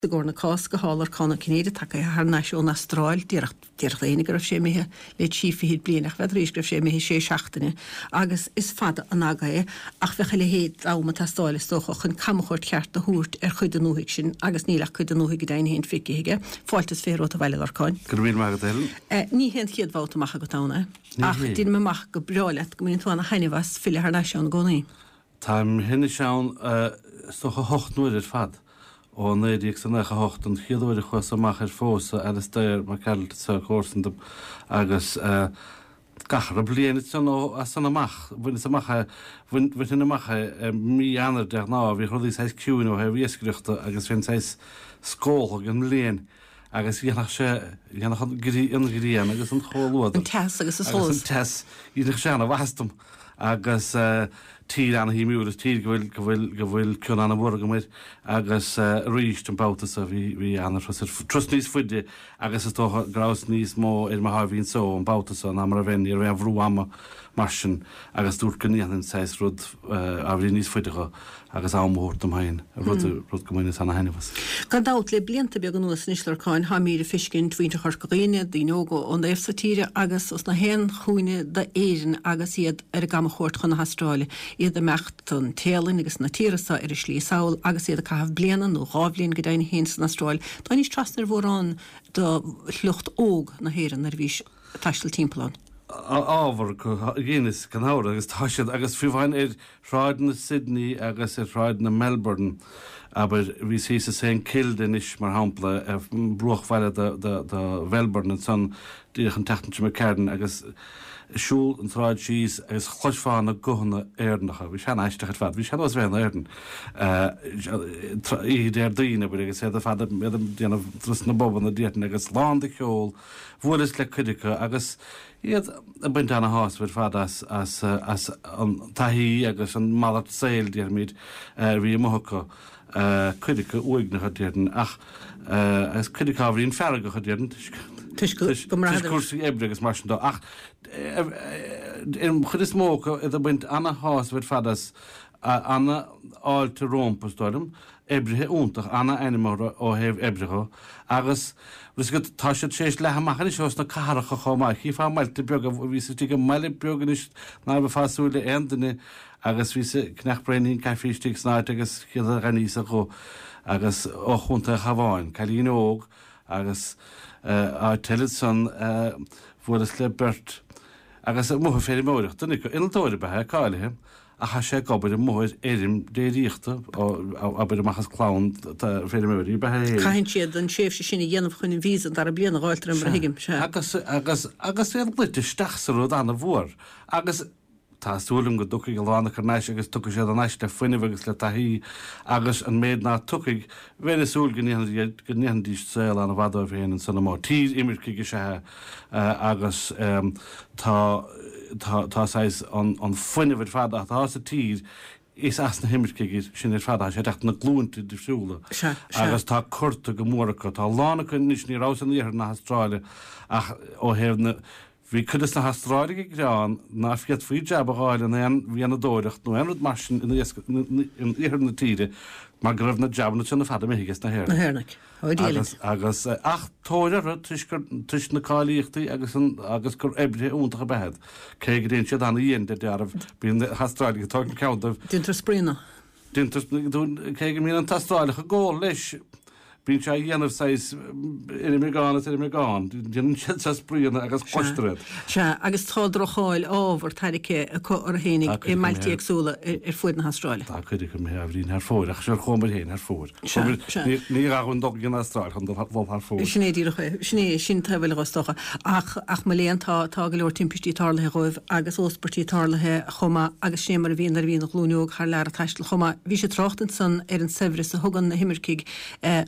I gcomhair na Cásca thá Lorcán Ó Cinnéide tagaithe thar n-ais ón Astráil. Déarfadh déarfadh éinne go raibh sé imithe le trí fichid bliain ach bheadh arís go raibh sé imithe sé seachtaine agus is fada an aga é ach bheadh a leithéid d'am ag teastáil is dócha chun camchuairt cheart a thabhairt ar chuid den ndúthaigh sin agus níl ach cuid den ndúthaigh go deimhin féin feicthe aige. Fáilte is 20 romhat abhaile, a Lorcáin. Go raibh míle maith agat, a Helen. Ní hé an chéad bhabhta amach agat ann é Ní ach hé. deinim amach go breá leat go mbaineann tú ana-thaitneamh as filleadh thar n-ais ann i gcónaí. Táim anois ann is dócha hocht n-uaire ar fad, ó 1998, an chéad uair a chuas amach ar phósadh Alastair McAnulty, comharsan dom, agus gach re bliain ansan ó as san amach, bhaineas amach é, bhainfinn amach é i mí Eanáir de ghnáth, bhíodh rudaí saghas ciúin ó thaobh iascaireachta agus bheinn saghas scóltha den mbliain agus dhéanfadh sé, dhéanfadh an an ghrian agus an comhluadar. An teas agus an solas. Agus an teas, dhéanfadh sé ana-mhaitheas dom. Agus tír ana-shuimiúil, is tír go bhfuil, go bhfuil, go bhfuil cion ana-mhór agam air agus arís an babhta so bhí, bhí ana-thuras ar, turas níos faide agus is dócha go rabhas níos mó ar mo sháimhín só an babhta so ná mar a bheinn, ní raibh aon bhrú ama mar sin agus dúirt go ndéanfainn saghas rud ábhairín níos faide dho agus am a thabhairt dom féin, rud, rud go mbaineas ana-thaitneamh as. Gan dabht, le blianta beaga anuas anois, Lorcáin, tháimíd ag feiscint mhuintir Chorca Dhuibhne, daoine óga ón dtaobh so tíre agus os na haon chúinne d'Éirinn agus iad ar a gcamachuairt chun na hAstráile, iad ag imeacht don Téalainn agus na tíortha so ar a slí sall agus iad ag caitheamh bliana nó dhá bhliain go deimhin féin san Astráil. Tháinís trasna ar mhórán de shliocht óg na hÉireann nuair a bhís ag taisteal timpeall ann. Ábhar go dheineas gan amhras agus tá siad agus fiú amháin ar shráideanna Sydney agus ar shráideanna Melbourne, abair, bhíos thíos i St Kilda anois, mar shampla, ar bruachbhaile do Mhelbourne ansan, díreach an tseachtain seo imigh tharainn, agus ag siúl an tsráid síos agus chloisfeá na guthanna Éireannacha. Bhí sé an-aisteach ar fad. Bhí sé ar nós bheith in Éirinn oíche Déardaoin, abair, agus iad ar fad ag déanamh turas na bpubanna, déarfainn, agus lán de cheol. Bhuaileas le cuid acu agus iad ag baint ana-shásamh ar fad as as as an taithí agus an malairt saoil, déarfaimid, a bhí amuigh acu, cuid acu uaigneach, a déarfainn, ach agus cuid acu ábhairín feargach, a déarfainn, toisc Toisc go mbraitheadar. cúrsaí oibre agus mar sin de, ach an chuid is mó acu iad ag baint ana-shásamh ar fad as, ana-fháilte rompu, is dóigh liom. Oibrithe iontach, ana-ainm orthu ó thaobh oibre dho, agus bhfuil 'fhios agat, tá siad tar éis leathadh amach anois ós na cathracha chomh maith. Chífeá i mbailte beaga, bhíos istigh i mbaile beag anois ná bheifeá ag súil le aon duine agus bhíos ag ceannach braoinín caife istigh san áit agus chéad a dh'aithníos a ghuth agus ó Chontae an Chabháin, cailín óg agus áit eile ansan bhuaileas le beirt agus amuigh ag feirmeoireacht, duine acu, innealtóir ab ea é, cáilithe. Ach tá sé ag obair amuigh ar fheirm déiríochta, abair amach as clann feirmeoirí ab ea é féin. Caitheann siad an tréimhse sin a dhéanamh chun an visa an dara bliain a dh'fháilt, mar a thuigim. Sea. Agus, agus, agus iad luite isteach sa rud ana-mhór. Agus tá súil agam go dtiocfaidh a lán acu thar n-ais agus tiocfaidh siad thar n-ais le fuinneamh agus le taithí agus an méid ná tiocfaidh, bheinn ag súil go ndéanfaidís, go ndéanfaidís saol ana-mhaith dóibh féin ansan amuigh. Tír imircigh is ea é agus tá, tá, tá saghas an, an fuinneamh ar fad atá sa tír, is as na himircigh sin ar fad atá sé ag teacht, na glúinte difriúla. Sea, sea. Agus tá curtha go mór acu. Tá a lán acu anois, ní rabhas in iarthar na hAstráile ach ó thaobh na, bhí cuid de na hAstráiligh ag gearán ná féadfaí jab a dh'fháil in aon mhianadóireacht nó aon rud mar sin in iarthar na tíre mar go raibh na jabanna sin ar fad imithe ages na Na hÉireannaigh. hÉireannaigh. Ó Dia linn. Agus, agus, ach tóir orthu toisc gur, toisc na cáilíochtaí agus an, agus gur oibrithe iontacha ab ea iad. Cé go dtéann siad ana-dhian de dealramh, bíonn na hAstráiligh ag tógaint ceann dóibh. Déantar spraíonna. Déantar, cé go mbíonn an tAstrálach ag ól leis, bíonn sé á dhéanamh saghas ar an mbeagán is ar an mbeagán. Déanann siad saghas spraíonna agus cloistear iad. Sea, agus tá droch-cháil ábhar tairgthe acu orthu fhéinig i mbailte éagsúla ar fuaid na hAstráile. Tá cuid acu imithe ábhairín thar fóir, ach sure chuamar féin thar fóir. Sea, sea. Ní gá dhúinn dul go dtí an Astráil chun dul thar fóir. Sin é díreach é. Sin é, sin taobh eile dho, is dócha. Ach, ach mo léan, tá, tá go leor timpistí tarlaithe dhóibh agus óspairtí tarlaithe chomh maith agus sin é mar a bhíonn nuair a bhíonn an ghlúin óg thar lear ag taisteal chomh maith. Bhís ag trácht ansan ar an saibhreas a thugann na himircigh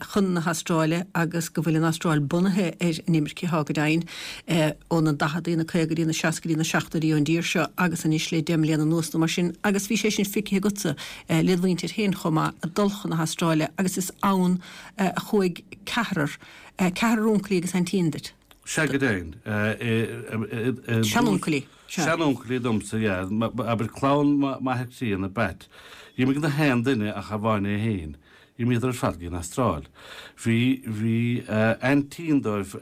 chun na hAstráile agus go bhfuil an Astráil bunaithe ar an imirce atá go deimhin ó na daicheadaí, na caogaidí, na seascaidí, na seachtóidí ón dtír seo agus anois le deich mbliana anuas nó mar sin agus bhí sé sin feicthe agatsa led mhuintir féin chomh maith ag dul chun na hAstráile agus is ann a chuaigh ceathrar, ceathrar uncailí agus aintín duit. Sea go deimhin. Seanuncailí, sea. Seanuncailí domsa, yeah. Abair clann m'athar críonna, Bat. D'imigh na haon duine ach amháin é féin. D'imíodar ar fad go dtí an Astráil. Bhí, bhí aintín dóibh,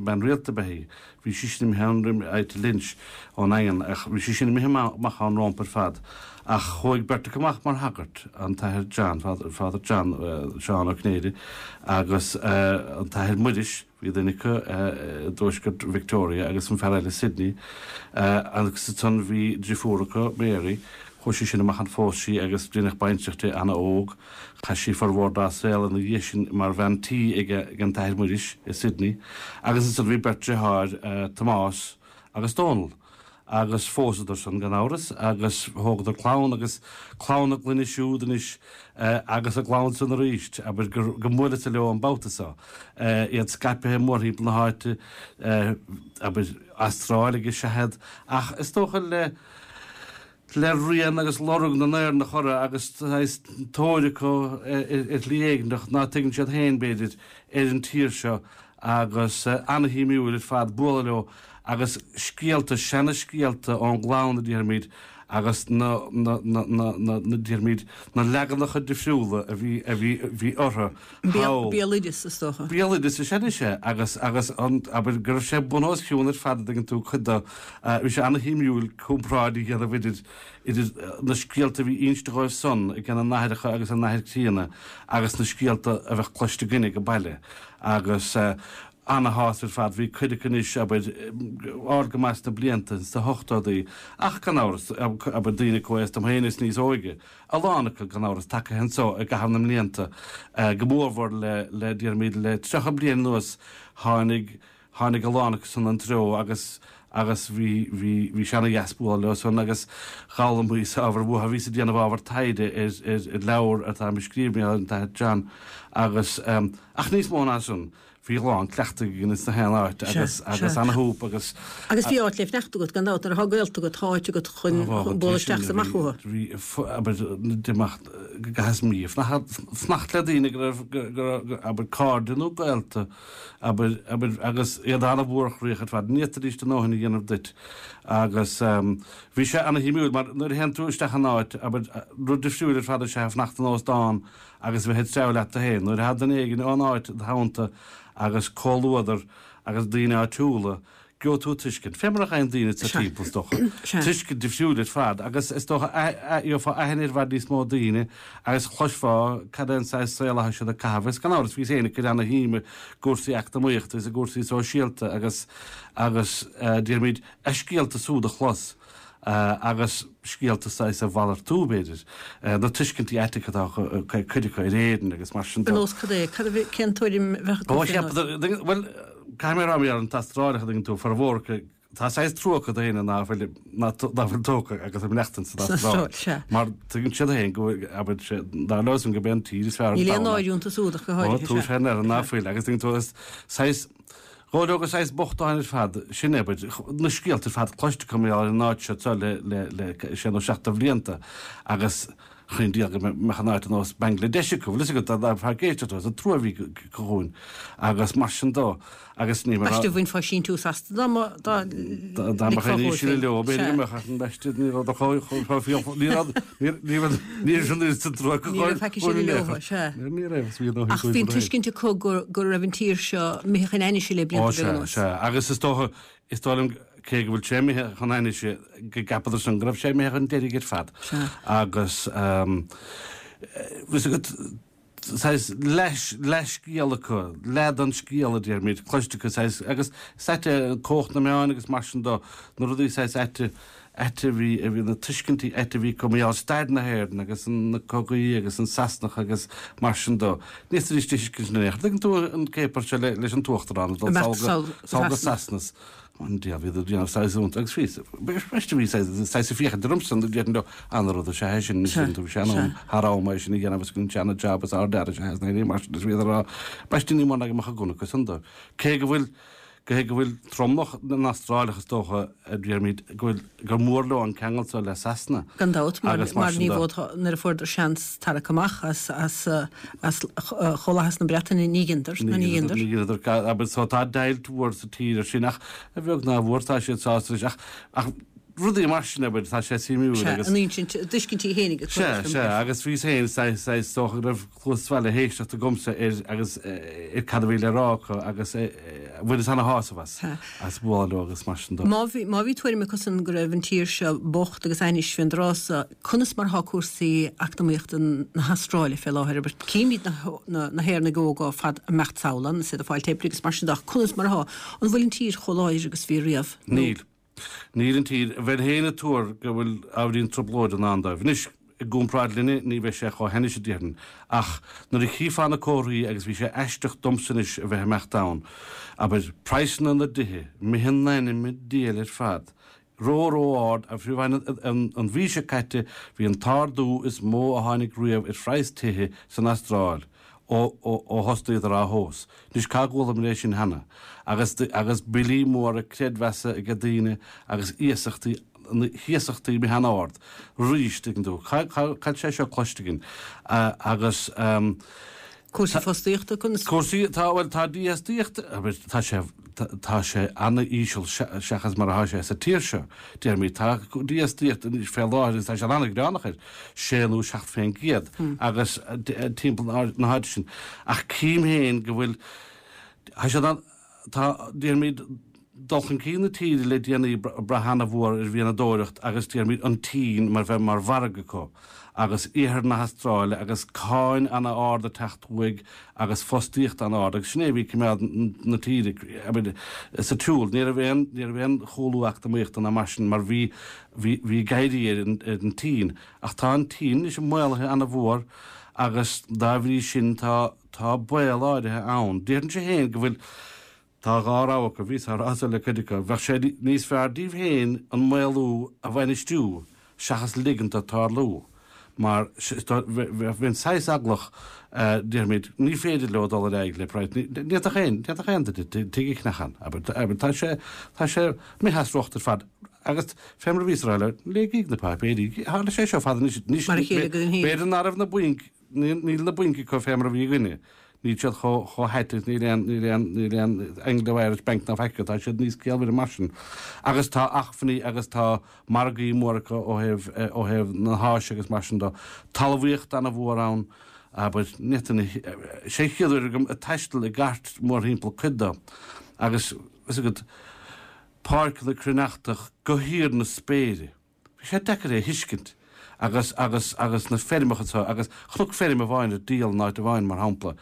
bean rialta ab ea í, bhí sí sin imithe ann roimh, Ita Lynch ón nDaingean, ach bhí sí sin imithe amach ann rómpa ar fad. Ach chuaigh beirt acu amach mar shagairt, an tAthair John, Father John, Seán Ó Cinnéide, agus an tAthair Muiris, Bhí duine acu i dtuaisceart Victoria agus an fear eile i Sydney agus ansan bhí driofúr acu, Mary, chuaigh sí sin amach ann phós sí agus deineadh baintreach di ana-óg. Chaith sí formhór dá saol ina dhiaidh sin mar bhean tí ag an tAthair Muiris i Sydney agus ansan bhí beirt deartháir, Tomás agus Dónal. Agus phósadar san, gan amhras, agus thógadar clann, agus clann a gclainne siúd anois, agus a gclann san arís, abair, go mbuaileas-sa leo an babhta so, iad scaipthe mórthimpeall na háite, abair, Astráiligh is ea iad, ach is dócha le, le rian agus lorg na nÉireannach orthu, agus saghas tóir acu ar shlí éigneach, ná tuigeann siad féin, b'fhéidir, ar an tír seo, agus ana-shuimiúil ar fad bualadh leo agus scéalta, seana-scéalta ón gclann a déarfaimid agus na, na, na, na, na, na, déarfaimid, na leaganacha difriúla a bhí, a bhí, bhí orthu thall. Béaloideas, is dócha. Béaloideas is ea anois é agus, agus an, abair, go raibh sé bun os cionn ar fad a dtuigeann tú, cuid de, bhí sé ana-shuimiúil comparáid a dhéanamh idir, idir na scéalta a bhí inste dhóibh san ag a n-aithreacha agus a n-athair críonna agus na scéalta a bheadh cloiste againne ag baile agus ana-shásamh ar fad. Bhí cuid acu anois, abair, ard go maith sna blianta, sna hochtóidí, ach gan amhras, abair, daoine comhaosta dom féin is níos óige, a lán acu, gan amhras, tagtha anso i gcaitheamh na mblianta, go mórmhór le, le, déarfaimid, le 30 bliain anuas, tháinig, tháinig a lán acu san an treo agus, agus bhí, bhí, bhí sé ana-dheas bualadh leo san agus d'fhoghlaimíos ábhar uathu. Bhíos ag déanamh ábhar taighde ar, ar, ar leabhar atáim ag scríobh mar gheall ar an tAthair John agus, ach níos mó ná san, bhí a lán cleachtaidh againn ins na haon áit agus, agus ana-shúp agus. Agus bhí áit le fanacht agat gan dabht, nuair atá gaolta agat, tá áit agat chun bualadh isteach is amach uathu. Bhí, abair, d'imeacht go gcaitheas mí ag fanacht le daoine go raibh, go raibh, abair, cairde nó gaolta, abair, abair, agus iad an-mhórchroíoch ar fad, ní fhéadfaidís a ndóthain a dhéanamh duit. Agus bhí sé ana-shuimiúil mar nuair a théann tú isteach in áit, abair, rud difriúil ar fad is ea fanacht in óstán agus a bheith ag treabhadh leat féin. Nuair atá duine éigin ón áit id theannta agus comhluadar agus daoine áitiúla, gheobhaidh tú tuiscint, fé mar a gheibheann daoine sa timpeall is dócha, tuiscint difriúil ar fad agus is dócha gheofá aithne ar i bhfad níos mó daoine agus chloisfeá cad é an saghas saol atá siad ag caitheamh. Agus gan amhras bhíos féin ag cur ana-shuim i gcúrsaí eacnamaíochta is i gcúrsaí sóisialta agus agus déarfaimid a scéalta súd a chlos. agus scéalta saghas a mhalartú, b'fhéidir, na tuiscintí aiteacha atá ag cuid acu ar Éirinn agus mar sin de. Ar nós cad é? Cad a bhí, cén tuairim a bheadh acu Ó, cheap, bhuel, caithfidh mé a rá, mar an t-Astrálach a dtuigeann tú, formhór acu, tá saghas trua acu do éinne ná fuil, ná fuil tógtha agus ag maireachtaint san Astráil. Sea. Mar tuigeann siad féin go bhfuil, abair, sé, dar leo san gurb é an tír is fearr ar Níl aon domhan. náire iontu súd ach go háirithe, sea. Ó, tú sé ná fuil, agus tuigeann tú, is saghas, Dhóigh leo gur saghas bochtáin ar fad sinn, abair, na scéalta ar fad cloiste acu mar gheall ar an áit seo anseo le, le, le sé nó seacht de bhlianta agus chaon diabhal go mbeadh an áit ar nós Bangladesh acu, bhfuil fhios agat, dá bhfear éisteacht leo, is an trua a bhí acu dhúinn agus mar sin dó agus ní mar a. B'aisteach bhainfeá síntiús astu dá mba, dá Dá dá mbeadh aon ísle leo, b'fhéidir go mbeadh ach an b'aisteach ní raibh do chomh, chomh fial, ní raibh, ní, ní raibh, ní raibh an oiread sin trua acu Ní raibh faic sin leo, sea. Ní raibh, is bhí a ndóthain Ach bhí an tuiscint acu go raibh an tír seo imithe chun ainnise le blianta beaga anuas. Ó sea, sea. Agus is dócha, is dóigh liom, cé go bhfuil sé imithe chun ainnise, go gceapadar san go raibh sé imithe chun deiridh ar fad. Sea. Agus, bhí agat, saghas leathscéal acu, leath den scéal a déarfaimid, cloiste acu, saghas, agus is ait é cumhacht na meáin agus mar sin de, na rudaí saghas aite, ait a bhí, a bhí na tuiscintí ait a bhí acu mar gheall ar stair na hÉireann agus na cogaí agus an Sasanach agus mar sin de. Ní fhéadfaidís a thuiscint in aon chor. Tuigeann tú an céapar seo leis an tUachtarán ag dul sall go go Sasana. An diabhal bhíodar ag déanamh saghas iontais agus bhí, b'aisteach bhí saghas, saghas ag féachaint ormsa nó déarfainn leo an-rud is ea é sin, sin tú, bhí sé in am thar am é sin a dhéanamh agus go an job is ard-fhear is ea é sin mar sin is bhíodar á, b'aisteach ní mór ná go mbeadh a gcuntas acu san dó. Cé go bhfuil Cé go bhfuil tromlach na nAstrálach, is dócha, a déarfaimid, go bhfuil, gur mór leo an ceangal seo le Sasana. Gan dabht, mar mar ní bhfódfá, nuair a fuaireadar seans tarrac amach as as as Chomhlathas na Breataine, ní dheineadar, ná ní dheineadar. Ní dheineadar, agus so tá deighilt mhór sa tír ar sin, ach a bheag ná a mhór tá siad sásta leis, ach ach. Rudaí mar sin, abair, tá sé suimiúil Sea, agus. an insint, a dtuiscintí féinig ag cur Sea, leis an sea, agus bhíos féin, saghas, saghas, is dócha go raibh cluas sa bhaile ag éisteacht agamsa ar agus ar cad a bhí le rá acu agus bhaineas ana-shásamh as, Sea. as bualadh leo agus mar sin de. Má bhí, má bhí tuairim acusan go raibh an tír seo bocht agus ainnis fén dtráth so, conas mar atá cúrsaí eacnamaíochta na hAstráile fé láthair? Abair, címid na, na, na hÉireannaigh óga ar fad ag imeacht sall ann, is iad ag fáilt oibre agus mar sin de ach conas mar atá? An bhfuil an tír chomh láidir agus bhí riamh? Nó. Níl. Níl an tír. Bheinn féin ag tuar go bhfuil ábhairín trioblóide i ndán dóibh. Anois, i gcomparáid linne, ní bheidh sé chomh hainnis, a déarfainn. Ach nuair a chífeá na comharthaí, agus bhí sé aisteach domsa anois a bheith ag imeacht ann, abair, praghsanna na dtithe, imithe in ainm an diabhail ar fad, ró, ró-ard, agus fiú amháin an mhí seo caite, bhí an t-ardú is mó a tháinig riamh ar phraghas tithe san Astráil. ó thosnaíodar á thomhas. Anois cá gcualamar é sin cheana? Agus agus billí móra creidmheasa ag daoine agus iasachtaí na hiasachtaí imithe an-ard arís, tuigeann tú. Cá cá cá bhfuil sé seo cloiste againn? Agus Cúrsaí fostaíochta, conas? Cúrsaí, tá, bhuel, tá dífhostaíocht, tá sé, tá sé an-íseal seachas mar atá sé sa tír seo, déarfaimid. Tá dífhostaíocht anois fé láthair agus tá sé an-ghreannach air. 6 nó 7 fén gcéad agus timpeall na háite sin. Ach cím féin go bhfuil, tá siad an, tá, déarfaimid, dul chun cinn na tíre le déanaí ag brath ana-mhór ar mhianadóireacht agus déarfaimid an tSín mar bheith mar mhargadh acu agus iarthar na hAstráile agus cáin ana-ard ag teacht uaidh agus fostaíocht an-ard agus sin é a bhí ag coimeád na tíre abair sa tsiúl. Ní raibh aon, ní raibh aon chúlú eacnamaíochta ná mar sin mar bhí Bhí, bhí ag éirí ar an, ar an tSín. Ach tá an tSín anois maolaithe ana-mhór agus dá bhrí sin tá, tá baol áirithe ann. Déarfainnse féin go bhfuil, tá dhá rogha acu, bhíos á rá so le cuid acu, bheadh sé níos fearr díobh féin an maolú a bhainistiú seachas ligint dó tarlú. Mar bheinn saghas eaglach, déarfaimid, ní féidir leo dul ar aghaidh le praghas, ní fhéadfadh aon, ní fhéadfadh aon duine tigh a cheannach ann, abair, tá sé, tá sé imithe as riocht ar fad. Agus fé mar a bhíos a rá leo, léigíg na páipéirí, tharla sé seo fada anois, anois, Mar a chéile go dtí. b'fhéidir ná raibh na bainc, níl na bainc acu fé mar a bhí againne, níl siad chomh, chomh hait agus níl aon, níl aon, níl aon Anglo-Irish Bank ná faic acu, tá siad níos ciallmhaire mar sin. Agus tá acmhainní agus tá margaí móra acu ó thaobh, ó thaobh na hÁise agus mar sin de. Talmhaíocht ana-mhór ann, abair, ní fhéadfainn, sé an chéad uair agam ag taisteal i gcairt mórthimpeall cuid de agus, fhios agat, páirceanna cruithneachtach go híor na spéire. Bhí sé deacair é a thuiscint agus, agus, agus na feirmeacha seo agus chonac feirm amháin ar díol in áit amháin, mar shampla.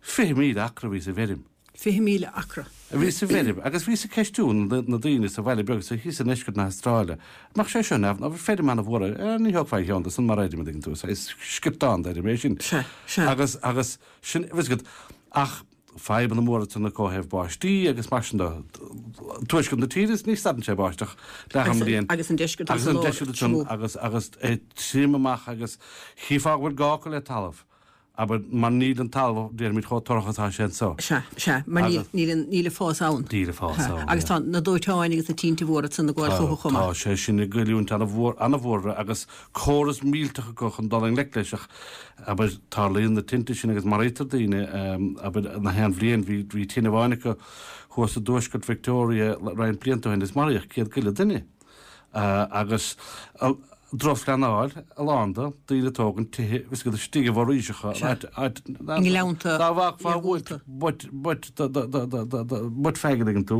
20,000 acra a bhí sa bhfeirm. 20,000 acra. A bhí sa bhfeirm agus bhíos ag ceistiú na daoine sa bhaile beag so thíos i ndeisceart na hAstráile, an mbeadh sé seo neamh, nó feirm ana-mhór é, eh, ní thógfá aon cheann de san mar fheirm, an dtuigeann tú, is sciortán d'fheirm é sin. Sea, sea. Agus, agus sin, bhfuil fhios agat, ach fadhbanna móra ansan acu ó thaobh báistí agus mar sin de. Tuaisceart na tíre, ní stadann sé báisteach leath an bhliain. Agus an deisceart agus an lár. Agus an deisceart ansan agus, agus é tirim amach agus chífeá go bhfuil gá acu le talamh. Abair, mar níl an talamh, déarfaimid, chomh torrach is atá sé anso. Sea, sea, mar níl, níl an, níl an fás ann. Níl an fás ann, Agus tá na dóiteáin agus na tinte mhóra ansan ag gabháil chucu chomh maith. Tá sé sin ag goilliúint ana-mhór, ana-mhór agus córas millteach acu chun dul i ngleic leis ach, abair, tarlaíonn na tinte sin agus maraítear daoine, abair, na haon bhliain, bhí, bhí tine amháin acu thuas i dtuaisceart Victoria roinnt blianta ó shin is maraíodh 100 go leith duine. Agus drochphleanáil, a lán de, daoine ag tógaint tithe, bhfuil fhios agat, istigh i bhforaoiseacha, áit, áit, I ngleannta dá bhfágfá uait buit, buit, buit feagair an dtuigeann tú,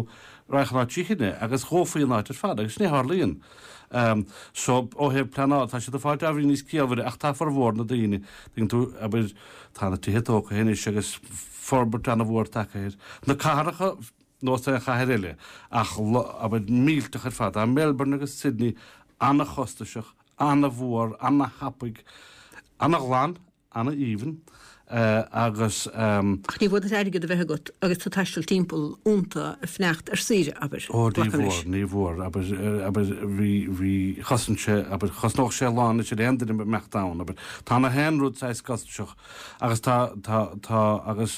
raghadh an áit trí thine agus dhófaí an áit ar fad agus sin é a tharlaíonn. So, ó thaobh pleanála, tá siad ag fáilt ábhairín níos ciallmhaire ach tá formhór na daoine, tuigeann tú, abair, tá na tithe tógtha anois agus forbairt ana-mhór tagtha air. Na cathracha, nós aon chathair eile, ach, abair, millteach ar fad. Tá Melbourne agus Sydney ana-chostasach, ana-mhór, ana-thapaidh, ana-ghlan, ana-aoibhinn, agus. Ach ní mhór duit airgead a bheith agat agus tú ag taisteal timpeall iontu ag fanacht ar saoire, abair. Ó, ní mhór, ní mhór, abair, abair, bhí, bhí, chosain sé, abair, chosnódh sé a lán anois ar aon duine a imeacht ann, abair. Tá na haon rud saghas costasach agus tá, tá, tá, agus.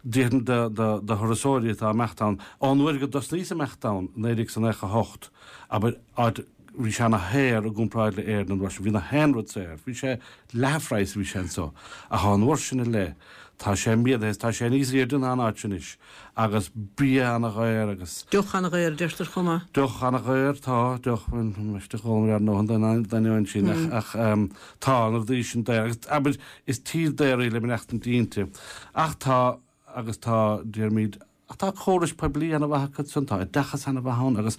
Déarfainn do thurasóirí atá ag imeacht ann, ón uair go dtosnaíos ag imeacht ann, 1998, abair, áit, bhí sé ana shaor i gcomparáid le Éirinn an uair sin, bhí na haon rud saor, bhí sé leath an phraghas a bhí sé anso, ach ón uair sin i leith, Tá sé méadaithe is tá sé níos airde ná an áit sin anois agus bia ana-dhaor agus. Deoch ana-dhaor a deirtear chomh maith. Deoch ana-dhaor, tá, deoch, ambaiste dh'ól ar ndóigh an d'ainneoin sin ach tá na rudaí sin daor agus abair is tír daor í le maireachtaint inti ach tá agus tá déarfaimid Ach tá córais poiblí ana-mhaith acu ansan, tá oideachas ana-mhaith ann agus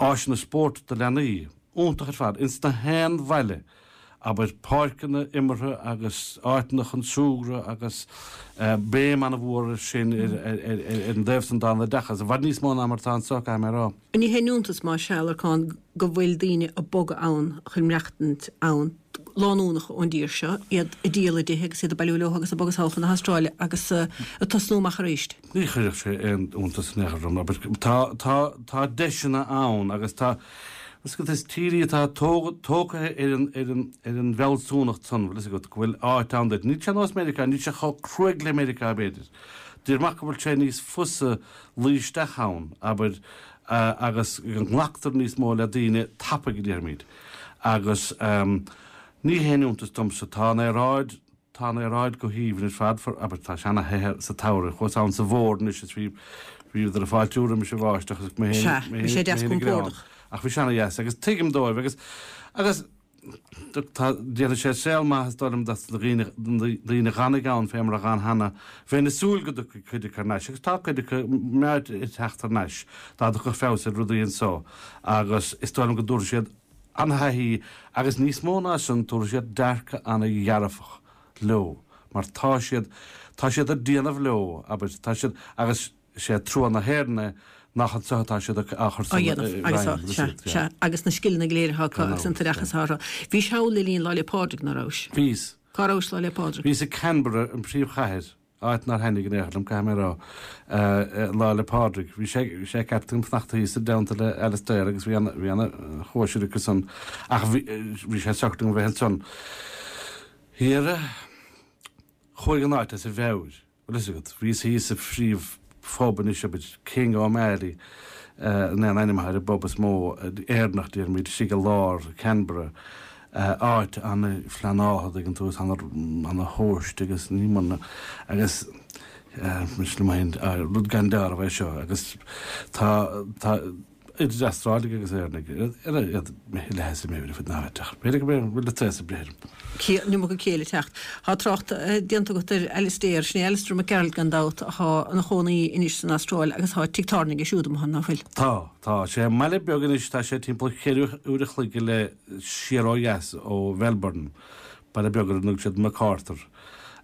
áiseanna spóirt do leanaí, iontach ar fad, ins na haon bhaile, abair páirceanna imeartha agus áiteanna chun súgradh agus béim ana-mhór ar sin ar an dtaobh san den oideachas, i bhfad níos mó ná mar atá anso, caithfidh mé a rá. Ní haon iontas más ea, a Lorcáin, go bhfuil daoine ag bogadh ann chun maireachtaint ann, lánúnacha ón dtír seo, iad ag díol a dtithe agus iad ag bailiú leo agus ag bogadh sall chun na hAstráile agus ag tosnú amach arís. Ní chuirfeadh sé aon iontas in aon chor orm, abair. Tá, tá, tá deiseanna ann agus tá, is agat, is tír í atá tógtha ar an, ar an, ar an bhfealsúnacht san, bhfuil fhios agat, go bhfuil áit ann duit. Níl sé nós Meiriceá, níl sé chomh cruaidh le Meiriceá, b'fhéidir. Déarfainn ach go bhfuil sé níos fusa luí isteach ann, abair, agus go nglactar níos mó le daoine tapaidh, a déarfaimid. Agus ní haon iontas domsa, tá an aeráid, Tá an aeráid go haoibhinn ar fad, abair, tá sé ana-the sa tsamhradh. Chuas ann sa bhfómhar anois is bhí, bhíodar ag fáiltiú roimis an bháisteach agus mé féin, Sea, mé bhí sé deas féin ag greann. compordach. Ach bhí sé ana-dheas agus tuigim dóibh agus, agus tá, déanfaidh sé saol maith is dóigh liom dos na daoine, daoine a dh'fhanfaidh ann fé mar a dh'fhan cheana. Bheinn ag súil go dtiocfaidh cuid acu thar n-ais agus tá cuid acu meáite ag teacht thar n-ais dá dtiocfadh feabhas ar rudaí anso agus is dóigh liom go dtabharfaidh siad an-thaithí agus níos mó ná sin tabharfaidh siad dearcadh an-dhearfach leo mar tá siad, tá siad ag déanamh leo, abair, tá siad, agus sé trua na hÉireann é nach anseo atá siad á chur á dhéanamh agus á, sea, sea, agus na scileanna go léir atá acu agus an t-oideachas atá orthu. Bhís thall le linn Lá 'le Pádraig, ná rabhais? Bhíos. Cá rabhais Lá 'le Pádraig? Bhíos i Canberra, an príomhchathair. Áit nár thaitnigh in aon chor liom, caithfidh mé a rá. Lá 'le Pádraig. Bhí sé, bhí sé ceart agam fanacht thíos i dteannta le Alastair agus bhí ana, bhí ana chóisir acu san ach bhí, bhí sé socair dom bheith ansan. Thiar, chuaigh an áit as a mheabhair, bhfuil fhios agat. Bhíos thíos sa phríomh phub anois, abair, King O'Malley, an é an ainm atá ar an bpub is mó Éireannach, déarfaimid, istigh i lár Canberra. áit an-phleanáilte, an dtuigeann tú, is ana-thomhaiste agus ní mar agus mise liom féin, rud gan dealramh é seo agus tá, tá idir Astrálaigh agus Éireannaigh ar iad leath as a meabhair ar fud na háite ach b'fhéidir go bhfuil an t-aos ag breith orm. An iomarca céille ag teacht. Tá trácht déanta agat ar Alastair, sin é Alastair Mac Gearailt gan dabht atá ina chónaí anois san Astráil agus tá tigh tábhairne aige siúd amuigh ann, ná fuil? Tá, tá. Sé i mbaile beag anois, tá sé timpeall cheithre uair a chloig go leith siar ó dheas ó Mhelbourne, baile beag ar a dtugann siad Macarthur,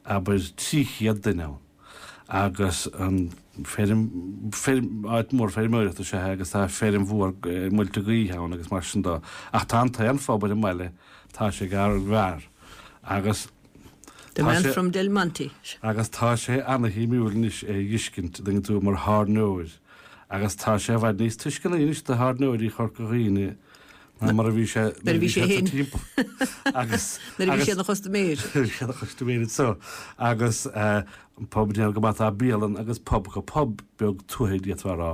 abair 300 duine ann, agus an feirm, feirm, áit mhór feirmeoireachta is ea é agus tá feirm mhór muilte gaoithe ann agus mar sin de. Ach tá an t-aon phub ar an mbaile, tá sé ag ár bhfear agus The tá man sé, from Del Monte. agus tá sé ana-shuimiúil anois é a dh'fheiscint, an dtuigeann tú, mar thábhairneoir agus tá sé i bhfad níos tuisceanaí anois do thábhairneoirí Chorca Dhuibhne ná mar a bhí sé nuair a bhí sé sa timpeall agus nuair a bhí sé ina chustaiméir. Nuair a bhí sé ina chustaiméir anseo agus an pub déanamh go maith tá bialann agus pub acu, pub beag tuaithe d'fhéadfá a rá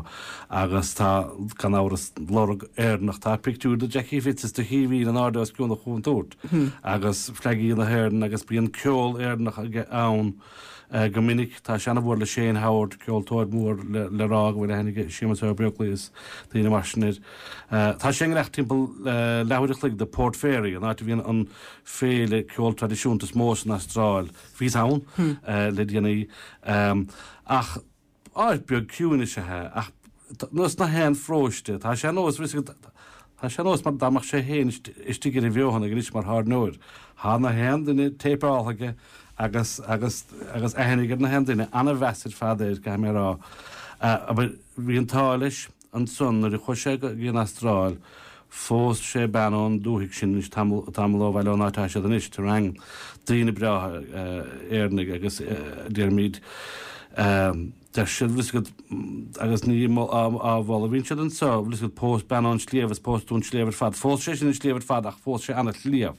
agus tá gan amhras lorg Éireannach tá pictiúr de Jackie Fitz is de Chaoimhín in airde os cionn an chúntúirt agus fleagaí na hÉireann agus bíonn ceol Éireannach aige ann Go minic, tá sé ana-mhór le Shane Howard, ceoltóir mór le rá go bhfuil aithne ag Séamus Ó Beaglaoich is daoine mar sin air. Tá sé i ngar timpeall leathuair a chloig de Port Fairy, an áit a bhíonn an féile ceol traidisiúnta is mó san Astráil. Bhíos ann le déanaí. Ach áit beag ciúin is ea é, ach nós na haon pharóiste, tá sé nós, tá sé nós mar dá mbeadh sé féin istigh ar an bhFeothanaigh anois mar thábhairneoir. Tá na haon duine téipeáltha aige agus, agus, agus aithne aige ar na haon duine, ana-mheas ar fad air, caithfidh mé a rá. Abair, bhí an t-ádh leis ansan nuair a chuaigh sé go dtí an Astráil, phós sé bean ón dúthaigh sin anois tamall, tamall ó bhaile ón áit atá siad anois, Terang, daoine breátha, Éireannaigh agus, déarfaimid,. Deir siad, bhfuil 'fhios agat, agus ní á mholadh a bhíonn siad anseo, bhfuil 'fhios agat, phós bean ón sliabh is phós tú an sliabh ar fad. Phós sé sin an sliabh ar fad ach phós sé ana-shliabh.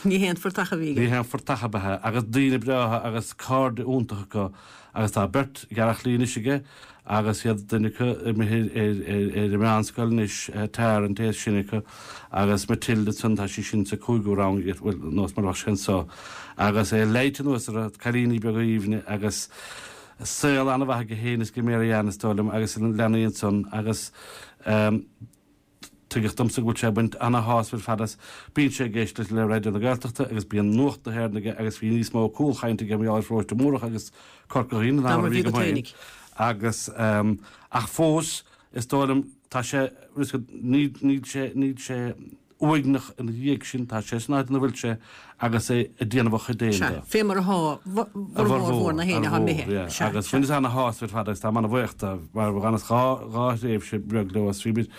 Ní haon phortach a bhí aige. Ní haon phortach ab ea é. Agus daoine breátha agus cairde iontacha acu agus tá beirt ghearrchailí anois aige agus iad duine acu imithe ar an meánscoil anois, Tara an té is sine acu agus Matilda ansan tá sí sin sa cúigiú rang, bhuel nós mar a bheadh sé anseo agus é leighte anuas orthu, cailíní beaga aoibhne agus saol an-mhaith aige féin is ag Mary Ann is dóigh liom agus na leanaí ansan agus tuigeadh domsa go bhfuil sé ag baint ana-shásamh ar fad as. Bíonn sé ag éisteacht le Raidió na Gaeltachta agus bíonn Nuacht na hÉireann aige agus bhí níos mó cúlchainte aige mar gheall ar Pharóiste Múrach agus Corca Dhuibhne ná mar a bhí agam féin agus ach fós is dóigh liom tá sé níl sé níl sé uaigneach ina dhiaidh sin, tá sé san áit ina bhfuil sé agus é ag déanamh a chuid fhéin de. Sea, fé mar athá formhór mór na héinne athá imithe. Yeah, Sea, agus bhaineas ana-shásamh ar fad agus táim ana-bhuíoch dó mar dh'fhanas dhá, dhá thréimhse bheag leo agus bhí muid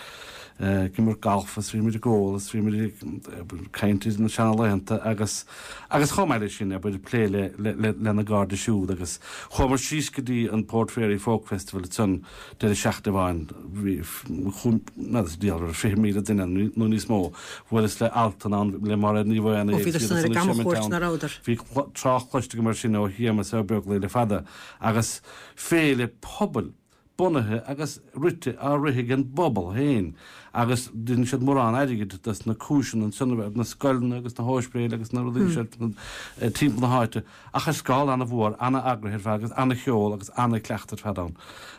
ag imirt galf agus bhí muid ag ól agus bhí muid ag caint ar na seanalaethanta agus, agus chomh maith leis sin, abair, ag plé le, le, le, lena gcairde siúd agus chuamar síos go dtí an Port Fairy Folk Festival ansan Deireadh seachtaine amháin, bhí, chuaigh, n'fheadar sa diabhal, raibh 20,000 duine ann nó níos mó. Bhuaileas le Altan ann, le Máiréad Ní Mhaonaigh Ó, bhíodar san ar a gcamchuairt, ná rabhadar? Bhí trácht cloiste agam air sin ó Shéamus Ó Beaglaoich le fada. Agus féile pobail, bunaithe agus rite, á rith ag an bpobal féin. Agus deineann siad mórán airgid dos na cúiseanna ansan, na scoileanna agus na hóispidéil agus na rudaí seo timpeall na háite. Ach ar scála ana-mhór, ana-eagraithe ar fad agus ana-cheol agus ana-chleachtadh ar fad ann.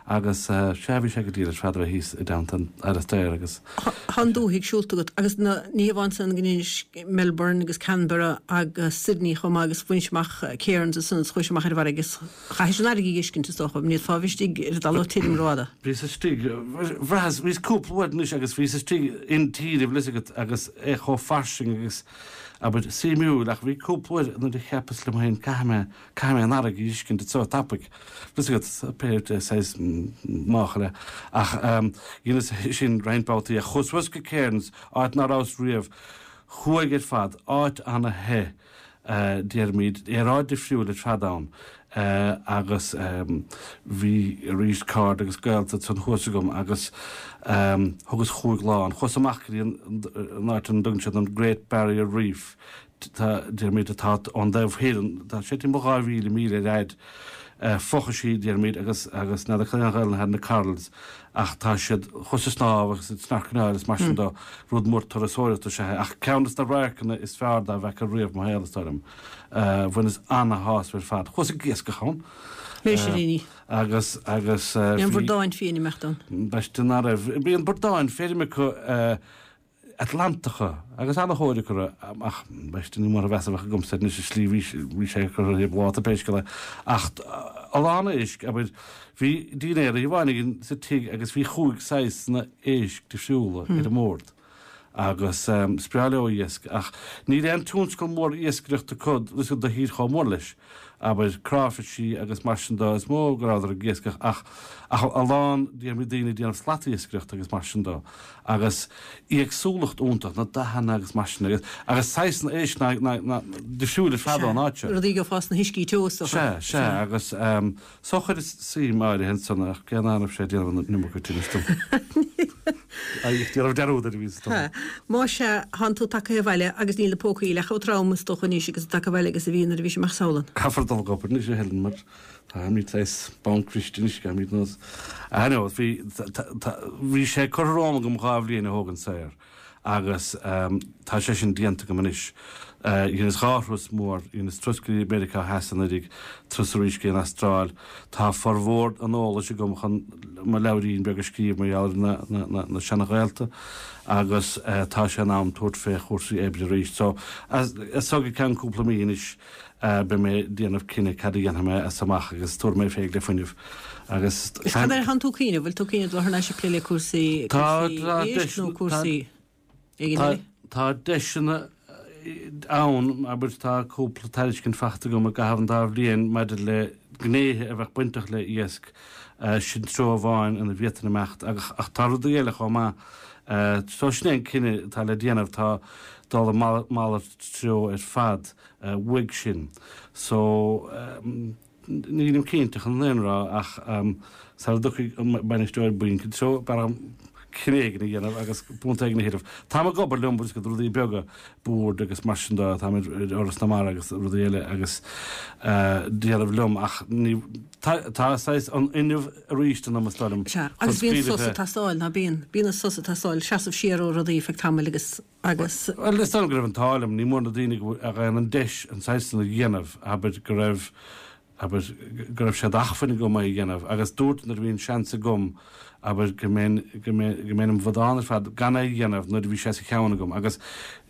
Agus sea, bhí sé go diail ar fad a bheith thíos i dteannta an Alastair agus. Tá an dúthaigh siúlta agat agus na, ní hamháin san go nDuinis, Melbourne agus Canberra agus Sydney chomh maith agus bhainis amach Cairns ansan agus chuais amach ar an bhfarraige agus chaithis an fharraige a dh'fheiscint is dócha, ní fhéadfá a bheith istigh ar an dtalamh tirim rófhada. Bhíos istigh, bhraitheas, bhíos cúpla uair anois agus bhíos istigh intíre, bhfuil fhios agat, agus é chomh fairsing agus abair, suimiúil, ach bhí cúpla uair nuair a cheapas liom féin, caithfidh mé, caithfidh mé an fharraige a dh'fheiscint anseo tapaidh. Bhfuil fhios agat, pé saghas máchail é. Ach dheineas é sin roinnt babhtaí. Ach chuas suas go Cairns, áit ná rabhas riamh. Chuaigh ar fad, áit ana-the, déarfaimid, aeráid difriúil ar fad ann. Agus bhí arís cairde agus gaolta ansan thuas agam agus thugas chúig lá ann. Chuas amach go dtí an áit ina dtugann siad an Great Barrier Reef, tá, déarfaimid, atá ón dtaobh thoir, tá sé timpeall 2,000 míle ar fhaid, fochaisí, déarfaimid, agus agus n'fheadar cad é an Ghaelainn atá ar na corals ach tá siad, chuas ag snámh agus ag snorcaileáil is mar sin de, rud mór turasóireachta is ea é. Ach ceann de na radharcanna is fearr dá bhfeaca riamh mo shaol, is dóigh liom. Bhaineas ana-shásamh ar fad. Chuas ag iascach ann. Misiríní. Agus, agus. Bhí an bradán fiáin ag imeacht ann. B'aisteach ná raibh. Bhí an bradán feirme acu Atlantacha agus ana-thóir acu orthu ach b'aisteach ní mór a mheas a bheadh agamsa air anois i slí bhí, bhí sé curtha ar thaobh láta pé scéal é. Ach a lán éisc, abair, bhí dinnéar oíche amháin againn sa tigh agus bhí chúig saghas éisc difriúla ar an mbord. Agus is breá leo iasc, ach níl aon tionscal mór iascaireachta acu do thír chomh mór leis, abair, cráifisí agus mar sin de, is mó go rabhadar ag iascach, ach ach a lán, déarfaimid, daoine ag déanamh slatiascaireachta agus mar sin de, agus éagsúlacht iontach, na dathanna agus mar sin, agus agus saghsanna éisc ná ná ná difriúil ar fad ón áit seo. Rudaí a gheofá sna huiscí teo is dócha. Sea, sea, agus. So chuireas suim áirithe ansan ach cé ná raibh sé ag déanamh an iomarca tinnis dom. Ag déanamh dearúd air a bhíos dom. Más ea, thánn tú tagtha abhaile agus níl na pócaí leath chomh trom is dócha anois agus tú tagtha abhaile agus a bhí nuair a bhís amach samhlann. Caithfear dul ag obair anois a Helen mar táimid saghas banc bhriste anois, caithfimid nós. I know, bhí, bhí sé curtha romham agam 2 bhliain a thógaint saor. agus tá sé sin déanta agam anois. Dheineas 2 thuras mór, dheineas turas go dtí Meiriceá Theas anuraidh, turas arís go dtí an Astráil. Tá formhór an eolais agam chun mo leabhairín beag a scríobh mar gheall ar na seana-ghaolta agus tá sé in am tabhairt fé chúrsaí oibre arís. So, as so go ceann cúpla mí anois, Beidh mé ag déanamh cinneadh cad a dhéanfaidh mé as amach agus tabharfaidh mé fé le fuinneamh agus. Is cad air thánn tú ag cuimhneamh? Bhfuil tú ag cuimhneamh dul thar n-ais ag plé le cúrsaí éisc nó cúrsaí éigin eile? Tá deiseanna ann, abair, tá cúpla tairiscint faighte agam i gcaitheamh an dá bhliain maidir le gnéithe a bheadh bainteach le iasc, sin treo amháin ina bhféadfainn imeacht ach tá rudaí eile chomh maith. So sin é an cinneadh atá le déanamh, tá dul i malairt treo ar fad. uaidh sin. So. Nílim cinnte chun an fhírinne a rá ach sara dtiocfaidh an bainisteoir bainc i dtreo, b'fhearr dhom cinneadh éigin a dhéanamh agus punt éigin a thuilleamh. Táim ag obair liom, bhfuil fhios agat, rudaí beaga, boird agus mar sin de, táim ar Fhoras na Mara agus rudaí eile agus déanamh liom ach ní, tá, tá saghas an fhuinneamh arís ionam is dóigh liom Sea, agus bíonn sos ag teastáil, ná bíonn? Bíonn an sos ag teastáil, seasamh siar ó rudaí feadh tamaill agus, agus. Bhuel, is dóigh liom go raibh an t-ádh liom, ní mór na daoine a fhaigheann an deis an saghas san a dhéanamh, abair, go raibh, abair, go raibh sé d'acmhainn agam é a dhéanamh agus dúirt nuair a bhí an seans agam, abair, go mbeinn, go mbeinn, go mbeinn im bhradán ar fad gan é a dhéanamh nuair a bhí sé sa cheann agam agus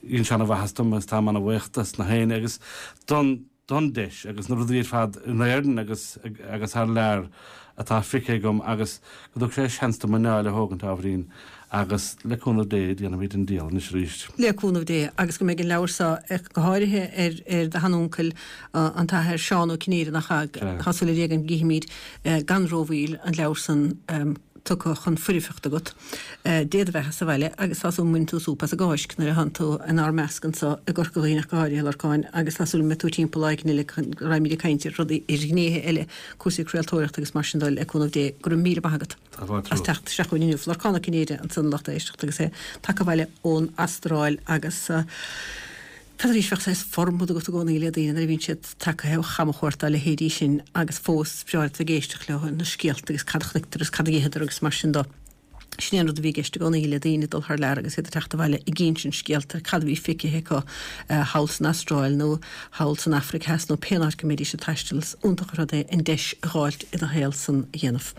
dhein sé ana-mhaitheas dom agus táim ana-bhuíoch dos na héinne agus don, don deis agus na rudaí ar fad in Éirinn agus, agus thar lear atá feicthe agam agus go dtug sé seans dom mo anáil a thógaint ábhairín agus le cúnamh Dé déanfaimid an diabhal anois arís. Le cúnamh Dé agus go mbeidh an leabhar seo, go háirithe ar ar do sheanuncail an tAthair Seán Ó Cinnéide nach ea? Tá súil ar Dhia go gcífimid gan rómhoill an leabhar san tugtha chun foirfeachta agat Dé do bheatha sa bhaile agus tá súil go mbainfidh tú súp as an gCáisc nuair a thánn tú inár measc anso i gCorca Dhuibhne ach go háirithe, a Lorcáin, agus tá súil go mbeidh tú timpeall lá éigin eile go raghaimid ag caint ar rudaí, ar ghnéithe eile, cúrsaí craoltóireachta agus mar sin de, le cúnamh Dé. Go raibh míle maith agat as teacht isteach chugainn inniu. Lorcán Ó Cinnéide ansan a lucht éisteachta agus é tagtha abhaile ón Astráil agus. N'fheadar, bheadh saghas formad agat i gcónaí le daoine nuair a bhíonn siad tagtha ó chamchuairt dá leithéidí sin agus fós is breá leat bheith ag éisteacht leo, na scéalta agus cad a chonaiceadar agus cad a d'itheadar agus mar sin de. Sin é an rud a bhí i gceist i gcónaí le daoine ag dul thar lear agus iad ag teacht abhaile ag insint scéalta ar cad a bhí feicthe acu thall san Astráil nó thall san Afraic Theas nó pén áit go mbeidís ag taisteal. Is iontach an rud é an deis a dh'fháilt i do shaol san a dhéanamh.